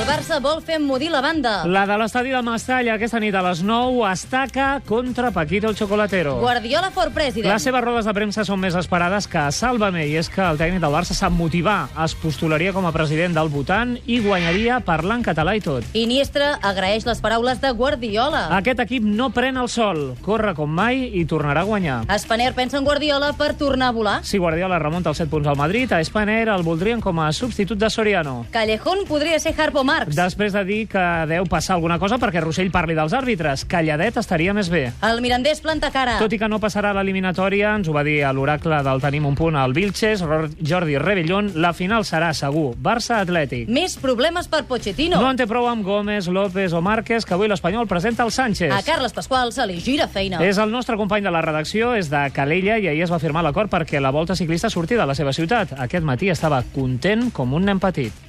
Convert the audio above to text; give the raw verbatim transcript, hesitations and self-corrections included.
El Barça vol fer emmudir la banda. La de l'estadi de Mestalla aquesta nit a les nou estaca contra Paquito el Chocolatero. Guardiola for president. Les seves rodes de premsa són més esperades que Sálvame, i és que el tècnic del Barça sap motivar. Es postularia com a president del Bhutan i guanyaria parlant català i tot. Iniestra agraeix les paraules de Guardiola. Aquest equip no pren el sol, corre com mai i tornarà a guanyar. Spanair pensa en Guardiola per tornar a volar. Si Guardiola remunta els set punts al Madrid, a Spanair el voldrien com a substitut de Soriano. Callejón podria ser Harpo Marx. Després de dir que deu passar alguna cosa perquè Rossell parli dels àrbitres, calladet estaria més bé. El Mirandés planta cara. Tot i que no passarà a l'eliminatòria, ens ho va dir a l'oracle del Tenim un punt al Vilches, Jordi Rebellón, la final serà segur Barça-Atlètic. Més problemes per Pochettino. No en té prou amb Gómez, López o Márquez, que avui l'Espanyol presenta el Sánchez. A Carles Pasqual se li gira feina. És el nostre company de la redacció, és de Calella, i ahir es va firmar l'acord perquè la Volta Ciclista surti de la seva ciutat. Aquest matí estava content com un nen petit.